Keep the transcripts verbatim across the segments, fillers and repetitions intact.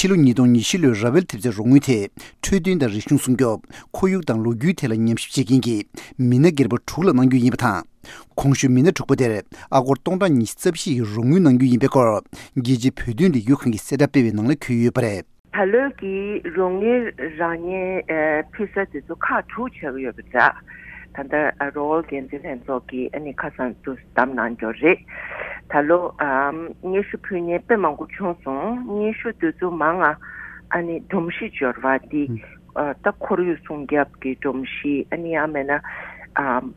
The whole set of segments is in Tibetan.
ཕྱི་ལོ་ཉིས་སྟོང་ཉི་ཤུ་ལོའི་ར་ཝེལ་ཐེབས་རྩའི་རོགས་དངུལ་དེ་འཕྲོད་བསྟེན་དང་རིག་གཞུང་སྲུང་སྐྱོབ། ཁོར་ཡུག་དང་ལོ་རྒྱུས་ཐད་ལ་ཉམས་ཞིབ་བྱེད་མཁན་གྱི་མི་སྣ་སྒེར་པ་དྲུག་ལ་གནང་རྒྱུ་ཡིན་པ་དང་། གོང་ཞུས་མི་སྣ་དྲུག་པ་དེར་ཨ་སྒོར་སྟོང་ཕྲག་ཉི་ཤུ་རྩ་བཞི་ཡི་རོགས་དངུལ་གནང་རྒྱུ་ཡིན་པའི་སྐོར། རྒྱལ་སྤྱིའི་བོད་དོན་ལས་འགུལ་ཁང་གི་གསལ་བསྒྲགས་སྤེལ་བའི་ནང་ལ་འཁོད་ཡོད་པ་རེད། ད་ལོའི་གི་རོགས་དངུལ་རག་མཁན་ཨ་ཕི་ས་དེ་ཚོ་ཁག་དྲུག་ཆགས་ཀྱི་ཡོད་པ་འདྲ། ད་ལྟ་ཨ་རོགས་འགན་འཛིན་ལྷན་ཚོགས་ཀྱིས་ཨ་ནི་ཁ་སང་དུ་བདམས་གནང་རྒྱུ་རེད། ད་ལོ་ཨམ་སྙན་ཞུ་ཕུལ་མཁན་དཔེ་མང་པོ་བྱུང་སོང་། སྙན་ཞུ་དེ་ཚོ་མང་ང་ཨ་ནི་སྒྲོམ་གཞི་འབྱོར་བ་འདི་ཨ་ད་ཁོར་ཡུག་སྲུང་སྐྱོབ་ཀྱི་སྒྲོམ་གཞི། ཨ་ནི་ཡང་མེད་ན་ཨམ་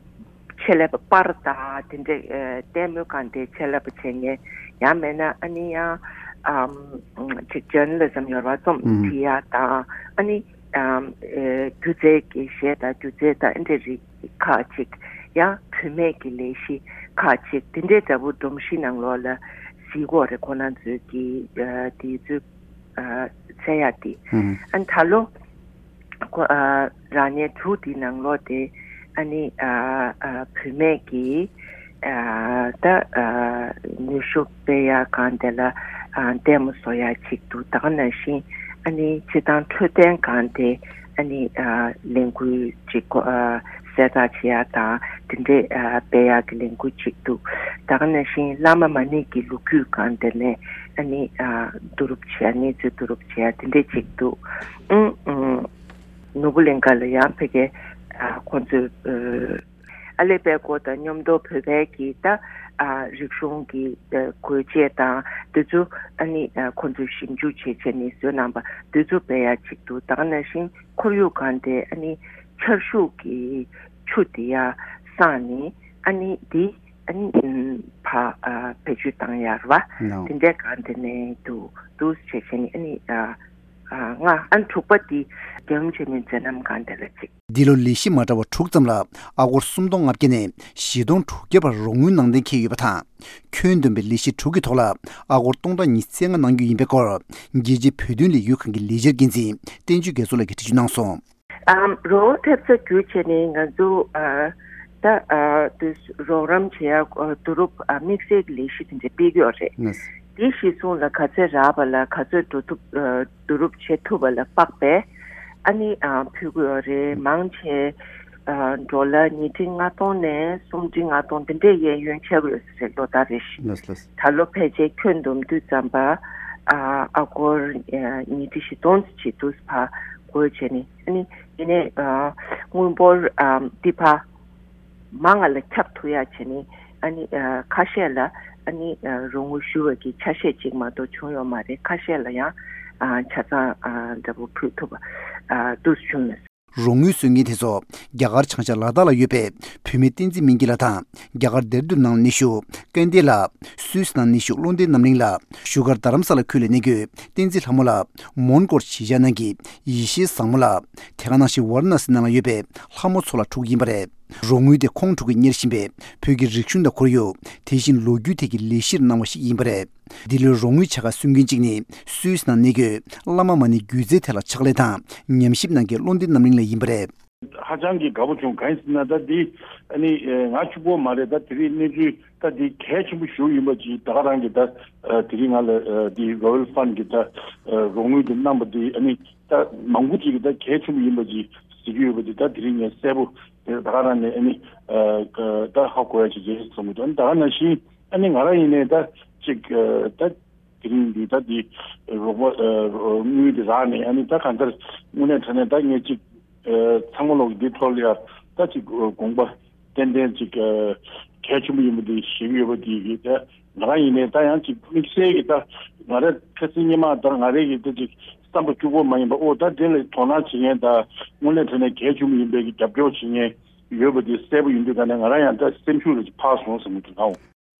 ཆེད་ལས་པ་པར་དང་དེ་འདྲའི་ཨ་ལྟད་མོའི་སྒང་དེ་ཆེད་ལས་པ་བྱེད་མཁན། ཡང་མེད་ན་ཨ་ནི་ཡང་ཨམ་ཅིག་ཇར་ན་ལི་ཛམ་ཡོད་ར་རྩོམ་ཨུམ་བྲིས་ཡ་དང་། ཨ་ནི་ཨམ་ཨེ་སྒྱུ་རྩལ་གྱི་གཞས་དང་སྒྱུ་རྩལ་དང་ཨ་འདྲ་རིགས་ཁག་ཅིག། ཡང་བུད་མེད་ཀྱི་ལས་གཞི་ཁག་ཅིག། དེ་འདྲའི་འདྲ་པོ་སྒྲོམ་གཞི་ནང་ལོགས་ལ་གཟིགས་དགོས་རེད། ཁོ་རང་ཚོའི་གི་ཨ་དེ་ཚོའི་ཨ་འཚོལ་ཡ་དེ། ཨུམ་ཨ་ནི་ད་ལོ་ཁོ་ཨ་རག་མཁན་དྲུག་དེའི་ནང་ལོགས་དེ་ཨ་ནི་ཨ་ཨ་བུད་མེད་ཀྱི་ཨ་ད་ཨ་ནུས་ཤུགས་སྤེལ་ཡ་སྒང་དེ་ལ་ཨ་ལྟད་མོ་བཟོ་ཡ་ཅིག་འདུག། ད་ག་ནང་བཞིན་ཨ་ནི་སྤྱིར་བཏང་འཕྲོད་བསྟེན་སྒང་དེ་ཨ་ནི་ཨ་ལས་འགུལ་ཅིག་ཨ་གསལ་བསྒྲགས་བྱེད་ཡ་དང་དེ་འདྲའི་ཨ་སྤེལ་ཡ་གི་ལས་འགུལ་ཅིག་འདུག། ད་ག་ནང་བཞིན་བླ་མ་མ་ཎི་གི་ལོ་རྒྱུས་སྒང་དེ་ནས་ཨ་ནི་ཨ་བསྡུ་རུབ་བྱེད་ཡ། གནས་ཚུལ་བསྡུ་རུབ་བྱེད་ཡ་དེ་འདྲ་ཅིག་འདུག། ཨང་ཨང་། ནོར་བུ་གླིང་ཁ་ལ་ཡང་ཕ་གི་ཨ་ཁོང་ཚོས་ཨ་ཨ་ལེ་པད་ཀོ་དང་མཉམ་དུ་བོད་པའི་གི་ད་ཨ་རིག་གཞུང་གི་ཨ་དགོས་ཆས་དང་དེ་ཚོ་ཨ་ནི་ཨ་ཁོང་ཚོས་ཞིབ་འཇུག་བྱས་བྱས་ནས་བཟོས་གནང་པ་དེ་ཚོ་སྤེལ་ཡ་ཅིག་འདུག། ད་ག་ནང་བཞིན་ཁོར་ཡུག་སྒང་དེ་ཨ་ནི་ཆར་ཤུགས་ཀྱི་ཆུ་དེ་ཡར་སངས་ནས་ཨ་ནི་དེ་ཨ་ནི་ཨམ་ཕར་ཨ་བེད་སྤྱོད་བཏང་ཡ་རེད་པ། ནའོ། དེ་འདྲའི་སྒང་དེ་ནས་འདུག་འདུག་བྱས་བྱས་ནས་ཨ་ནི་ཨ་ཨ་ལྔ། ཨ་ནི་དྲུག་པ་དེ་རྒྱལ་ཡུམ་ཆེན་མོའི་མཛད་རྣམ་སྒང་དེ་ལ་གཅིག། འདི་ལོ་ལས་གཞི་མ་འདྲ་བ་དྲུག་ཙམ་ལ་ཨ་སྒོར་སུམ་སྟོང་ལྔ་བརྒྱ་ནས་བཞི་སྟོང་དྲུག་བརྒྱ་བར་རོགས་དངུལ་གནང་གཏན་འཁེལ་ཡོད་པ་དང་། ཁྱོན་བསྡོམས་པའི་ལས་གཞི་དྲུག་གི་ཐོག་ལ་ཨ་སྒོར་སྟོང་ཕྲག་ཉི་ཤུ་རྩ་ལྔ་གནང་རྒྱུ་ཡིན་པའི་སྐོར། རྒྱལ་སྤྱིའི་བོད་དོན་ལས་འགུལ་ཁང་གི་ལས་འཆར་འགན་འཛིན་བསྟན་ཆོས་རྒྱ་མཚོ་ལགས་ཀྱིས་འགྲེལ་བརྗོད་གནང་སོང་། ཨམ་རོགས་ཐེབས་རྩ་བརྒྱུད་བྱས་ནས་ང་ཚོ་ཨ་ད་ཨ་དུས་རོགས་རམ་བྱེད་ཡ་ཨ་བསྡུ་རུབ་ཨ་དམིགས་བསལ་གྱི་ལས་གཞི་དེ་འདྲ་སྤེལ་གྱི་ཡོད་རེད། ལགས། དེ་གཞི་བཟུང་ལ་ག་ཚོད་རག་པ་ལ་ག་ཚོད་འགྲོ་ཐུབ་ཨ་བསྡུ་རུབ་བྱེད་ཐུབ་པ་ལ་དཔག་པའི་ཨ་ནི་ཨ་ཕུལ་གྱི་ཡོད་རེད། མང་ཆེ་ཨ་ཌོ་ལར་ཉིས་ཁྲི་ལྔ་སྟོང་ནས་སུམ་ཁྲི་ལྔ་སྟོང་དེ་འདྲས་གཡས་གཡོན་ཆགས་ཀྱི་ཡོད་ས་རེད། ལོ་ལྟར་རེ་བཞིན། ལགས་ལགས། ད་ལོ་ཕལ་ཆེར་ཁྱོན་བསྡོམས་དུས་ཙམ་པ་ཨ་ཨ་སྒོར་ཨ་ཉིས་ཁྲི་བཞི་སྟོང་ཙམ་བྱེད་དུས་ཕར་བགོས་བྱས་ནས། ཨ་ནི་དེ་ནས་ཨ་དངུལ་འབོར་ཨ་འདི་ཕར་མང་ང་ལ་ཁྱབ་ཐུབ་ཡ་བྱས་ནས། ཨ་ནི་ཨ་ཁ་ཤས་ལ་ཨ་ནི་ཨ་རོགས་དངུལ་ཞུ་བ་གི་ཆ་ཤས་གཅིག་མ་གཏོགས་བྱུང་ཡོད་མ་རེད། ཁ་ཤས་ལ་ཡང་ཨ་ཆ་ཚང་ཨ་འདྲ་པོ་ཕུལ་ཐུབ་པ་ཨ་འདུག་བྱུང་ཡོད། རོགས་དངུལ་སོན་མཁན་དེ་ཚོ་རྒྱ་གར་བྱང་ཤར་ལ་དྭགས་ལ་ཡོད་པའི་བུད་མེད་བསྟན་འཛིན་སྨན་སྐྱིད་ལགས་དང་། རྒྱ་གར་ལྡེར་ལྡུན་ནང་གནས་བཞུགས་ཀན་ཏེ་ལགས། སུད་སི་ནང་གནས་བཞུགས་བློ་ལྡན་རྣམ་གླིང་ལགས། བཞུགས་སྒར་རྡ་རམ་ས་ལ་ཁུལ་ལ་གནས་འཁོད་བསྟན་འཛིན་ལྷ་མོ་ལགས། མོན་གྷོར་གཞིས་ཆགས་གནང་མཁན་ཡེ་ཤེས་བཟང་མོ་ལགས། དེ་ག་ནང་བཞིན་ཝཱ་ར་ཎ་སི་ནང་ལ་ཡོད་པའི་ལྷ་མོ་མཚོ་ལགས་དྲུག་ཡིན་པ་རེད། རོགས་དངུལ་དེ་ཁོང་དྲུག་གིས་གཉེར་བཞིན་པའི་བོད་ཀྱི་རིག་གཞུང་དང་ཁོར་ཡུག་དེ་བཞིན་ལོ་རྒྱུས་ཐད་ཀྱི་ལས་གཞིར་གནང་བ་ཞིག་ཡིན་པ་རེད། འདི་ལོའི་རོགས་དངུལ་ཆ་ཚང་སུན་འབྱིན་གཅིག་ནི་སུད་སི་ནང་གནས་འཁོད་བླ་མ་མ་ཎི་སྒྱུ་རྩལ་ཐད་ལ་ཕྱག་ལས་དང་ཉམས་ཞིབ་གནང་མཁན་བློ་ལྡན་རྣམ་གླིང་ལགས་ཡིན་པ་རེད། ཧ་ཅང་གི་དགའ་པོ་བྱུང་། གང་ཡིན་ཟེར་ན་ད་འདི་ཨ་ནི་ང་གཅིག་པོ་མ་རེད། ད་དེ་རིང་གནས་ཚུལ་ད་འདི་གལ་ཆེན་པོ་ཞིག་ཡིན་པ་ཅིག་ད་ག་རང་གི་ད་དེ་རིང་ང་ལ་འདི་Royal Fund་གི་ད་རོགས་དངུལ་དེ་གནང་པ་འདི་ཨ་ནི་ད་མང་པོ་ཅིག་གི་ད་གལ་ཆེན་པོ་ཡིན་པ་ཅིག་གཟིགས་ཀྱི་ཡོད་པ་འདི་ད་དེ་རིང་ངས་གསལ་པོ་དེ་ད་ག་རང་ནས་ཨ་ནི་ད་ཧ་གོ་ཡ་ཅིག་རེད་བསམ་གྱི་འདུག། ཨ་ནི་ད་ག་ནང་བཞིན། ཨ་ནི་ང་རང་ཡིན་ནའི་ད་ཅིག་ཨ་ད་དེ་རིང་འདི་ད་འདི་རོགས་པ་ཨ་དངུལ་འདི་རག་ནས། ཨ་ནི་ད་གང་ལྟར་དངོས་གནས་དྲང་གནས་ད་ངས་ཅིག་ཨ་ཚང་མ་ལོག་འདི་ཐོག་ལ་ཡ་ད་ཅིག་དགོངས་པ་ཏན་ཏན་ཅིག་ཨ་གལ་ཆེན་པོ་ཡིན་པ་འདི་ཤེས་ཀྱི་ཡོད་པ་འདི་གི་ད་ང་རང་ཡིན་ནའི་ད་ཡང་ཅིག་དམིགས་བསལ་གྱི་ད་ང་རང་ཁ་སང་སྔོན་མ་ད་ང་རང་གི་ད་ཅིག་བསམ་པ་སྐྱོ་པོ་མ་ཡིན་པ། ཨོ་ད་དེ་ལ་དོ་སྣང་བྱེད་མཁན་ད་དངོས་གནས་དྲང་གནས་གལ་ཆེན་པོ་ཡིན་པའི་གི་རྒྱབ་སྐྱོར་བྱེད་མཁན་ཡོད་པ་འདི་གསལ་པོ་ཡིན་དུས་ད་ནས་ང་རང་ཡང་ད་སེམས་ཤུགས་ལ་ཅིག་འཕར་སོང་བསམ་གྱི་འདུག་ཨོ།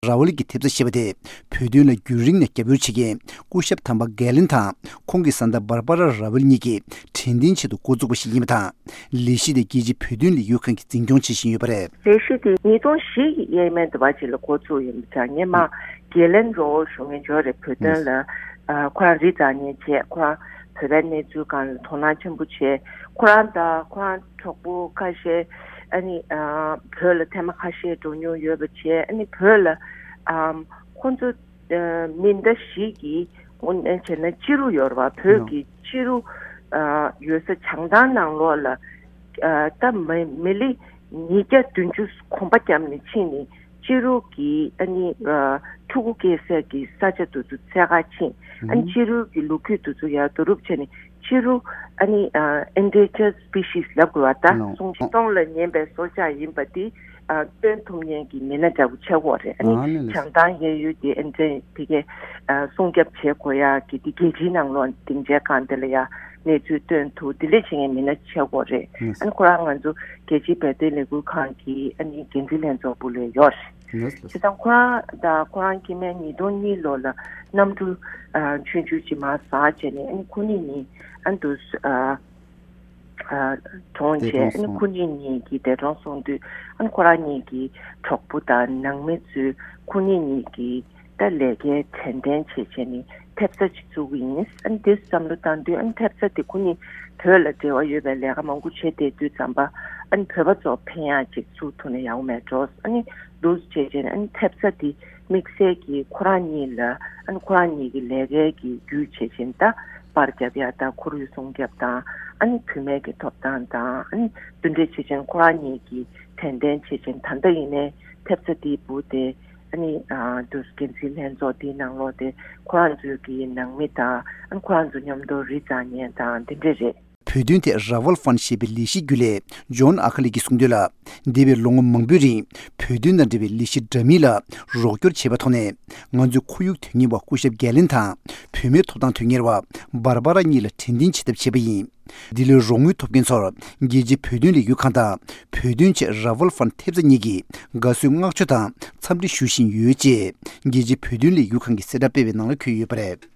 ར་ཝལ་གྱི་ཐེབས་རྩ་ཞེས་པ་དེ་བོད་དོན་ལ་རྒྱུན་རིང་ནས་རྒྱབ་སྐྱོར་བྱེད་མཁན་སྐུ་ཞབས་དམ་པ་གྷེ་ལན་དང་ཁོང་གི་བཟའ་ཟླ་འབར་པ་ར་ར་ཝལ་གཉིས་ཀྱིས་དྲན་རྟེན་ཆེད་དུ་འགོ་བཙུགས་པ་ཞིག་ཡིན་པ་དང་། ལས་གཞི་དེ་རྒྱལ་སྤྱིའི་བོད་དོན་ལས་འགུལ་ཁང་གིས་འཛིན་སྐྱོང་བྱེད་བཞིན་ཡོད་པ་རེད། ལས་གཞི་དེ་ཉིས་སྟོང་བཞི་ཡས་མས་འདི་བ་ཅིག་ལ་འགོ་བཙུགས་ཡིན་པ་དང་། སྔོན་མ་གྷེ་ལན་རོ་ཞུ་མཁན་ཅིག་ཡོད་རེད། བོད་དོན་ལ་ཨ་ཁོ་རང་རི་འཛེག་མཁན་བྱས། ཁོ་རང་བོད་པའི་གནས་ཚུལ་སྒང་ལ་དོ་སྣང་ཆེན་པོ་བྱས། ཁོ་རང་དང་ཁོ་རང་གྲོགས་པོ་ཁ་ཤས་ཨ་ནི་ཨ་བོད་ལ་ཐེངས་མ་ཁ་ཤས་འགྲོ་མྱོང་ཡོད་པ་བྱས། ཨ་ནི་བོད་ལ་ཨམ་ཁོང་ཚོ་ཨ་མི་ཟླ་བཞི་གི་ དངོས་གནས་བྱས་ན་ཕྱི་རུ་ཡོད་རེད་བ། བོད་ཀྱི་ཕྱི་རུ་ཨ་ཡོད་ས་བྱང་ཐང་ནང་ལོགས་ལ་ཨ་ད་མི་མི་ལི་ཉིས་བརྒྱ་བདུན་ཅུ་གོམ་པ་བརྒྱབ་ནས་ཕྱིན་ནས་ཕྱི་རུ་གི་ཨ་ནི་ཨ་ཕྲུ་གུ་སྐྱེ་སའི་གི་ས་ཆ་དེ་ཚོ་འཚོལ་ག་ཕྱིན། ཨ་ནི་ཕྱི་རུ་གི་ལོ་རྒྱུས་དེ་ཚོ་ཡར་བསྡུ་རུབ་བྱས་ནས་ཕྱི་རུ་ཨ་ནི་ཨ་endangered species ལབ་དགོས་བ། ད་ལོ་སྲུང་སྐྱོང་ལ་ཉན་པའི་སྲོག་ཆགས་ཡིན་པ་དེ་ཨ་སྟོན་ཐུབ་མཁན་གྱི་མི་སྣ་འདྲ་པོ་ཆགས་ཀྱི་ཡོད་རེད། ཨ་ནི་ཨ་ནི་ལགས། བྱང་ཐང་གཡས་གཡོན་དེ་ཨ་ནི་དེ་གའི་ཨ་སྲུང་སྐྱོབ་བྱེད་དགོས་ཡ་གི་དེ་རྒྱལ་སྤྱིའི་ནང་ལོགས་སྡིངས་ཆའི་སྒང་དེ་ལ་ཡ་གནས་ཚུལ་སྟོན་ཐུབ་དེ་འདྲ་བྱེད་མཁན་མི་སྣ་ཆགས་ཀྱི་ཡོད་རེད། ཨ་ནི་ཁོ་རང་ང་ཚོ་རྒྱལ་སྤྱིའི་བོད་དོན་ལས་འགུལ་ཁང་གི་ཨ་ནི་འགན་འཛིན་ལྷན་ཚོགས་སྦུག་ལ་ཡོད་རེད། ལགས་ལགས། བྱས་ཙང་ཁོ་རང་དང་ཁོ་རང་སྐྱེ་དམན་ཉིས་སྟོང་གཉིས་ལོ་ལ་གནམ་གྲུ་ཨ་ཆུང་ཆུང་ཅིག་མར་ཟགས་བྱས་ནས་ཨ་ནི་ཁོ་གཉིས་གཉིས་ཨ་ནི་དུ་ཨ་ཨ་གྲོངས་བྱས། འདས་གྲོངས་ཨ་ནི་སོང་། ཁོ་གཉིས་གཉིས་ཀྱིས་འདས་གྲོངས་སོང་དུས་ཨ་ནི་ཁོ་རང་གཉིས་ཀྱི་གྲོགས་པོ་དང་ནང་མི་ཚོས་ཁོ་གཉིས་གཉིས་ཀྱིས་ད་ལས་ཀའི་དྲན་རྟེན་བྱས་བྱས་ནས་ཐེབས་རྩ་ཅིག་བཙུགས་ཀྱི་ཡིན། ཨ་ནི་དེ་བསམ་བློ་བཏང་དུས་ཨ་ནི་ཐེབས་རྩ་དེ་ཁོ་གཉིས་བོད་ལ་འབྲེལ་བ་ཡོད་པའི་ལས་ཀ་མང་པོ་བྱས་བསྡད་དུས་ཙམ་པ་ཨ་ནི་བོད་པ་ཚོ་ཕན་ཡག་ཅིག་བཙུགས་ཐུབ་ན་ཡག་པོ་མེད་འགྲོ། ཨ་ནི་འདུག་བྱས་བྱས་ནས་ཨ་ནི་ཐེབས་རྩ་དེ་དམིགས་བསལ་གྱིས་ཁོ་རང་གཉིས་ལ་ཨ་ནི་ཁོ་རང་གཉིས་ཀྱི་ལས་ཀའི་གི་བརྒྱུད་བྱས་བྱས་ནས་ད་པར་རྒྱབ་ཡག་དང་ཁོར་ཡུག་སྲུང་སྐྱོབ་དང་ཨ་ནི་བུད་མེད་ཀྱི་ཐོབ་ཐང་དང་ཨ་ནི་འདི་འདྲ་བྱས་བྱས་ནས་ཁོ་རང་གཉིས་ཀྱིས་དྲན་རྟེན་བྱས་བྱས་ནས་ད་ལྟ་ཡིན་ནའི་ཐེབས་རྩ་དེའི་སྦུག་དེ་ཨ་ནི་ཨ་འདུག་འགན་འཛིན་ལྷན་ཚོགས་དེའི་ནང་ལོགས་དེ་ཁོ་རང་ཚོའི་གི་ནང་མི་དང་ཨ་ནི་ཁོ་རང་ཚོ་མཉམ་དུ་རི་འཛེག་མཁན་དང་འདི་འདྲ་རེད། བོད་དོན་ཐད་ར་ཝལ་ཧྥན་ཞེས་པའི་ལས་གཞིའི་རྒྱུན་ལས་ཇོན་ཨ་ཁ་ལི་གིས་གསུངས་དོན་ལ། འདས་པའི་ལོ་ངོ་མང་པོའི་རིང་བོད་དོན་དང་འབྲེལ་བའི་ལས་གཞི་འདྲ་མིན་ལ་རོགས་སྐྱོར་བྱས་པའི་ཐོག་ནས་ང་ཚོས་ཁོར་ཡུག་དོན་གཉེར་བ་སྐུ་ཞབས་གྷེ་ལིན་དང་བུད་མེད་ཐོབ་ཐང་དོན་གཉེར་བ་འབར་བ་ར་གཉིས་ལ་དྲན་རྟེན་བྱེད་ཐབས་བྱས་པ་ཡིན། འདི་ལོའི་རོགས་དངུལ་ཐོབ་མཁན་ཚོར་རྒྱལ་སྤྱིའི་བོད་དོན་ལས་འགུལ་ཁང་དང་བོད་དོན་ཆེད་ར་ཝལ་ཧྥན་ཐེབས་རྩ་གཉིས་ཀྱིས་དགའ་བསུའི་བསྔགས་བརྗོད་དང་འཚམས་འདྲི་ཞུ་བཞིན་ཡོད་ཅེས་རྒྱལ་སྤྱིའི་བོད་དོན་ལས་འགུལ་ཁང་གི་གསལ་བསྒྲགས་སྤེལ་བའི་ནང་ལ་འཁོད་ཡོད་པ་རེད།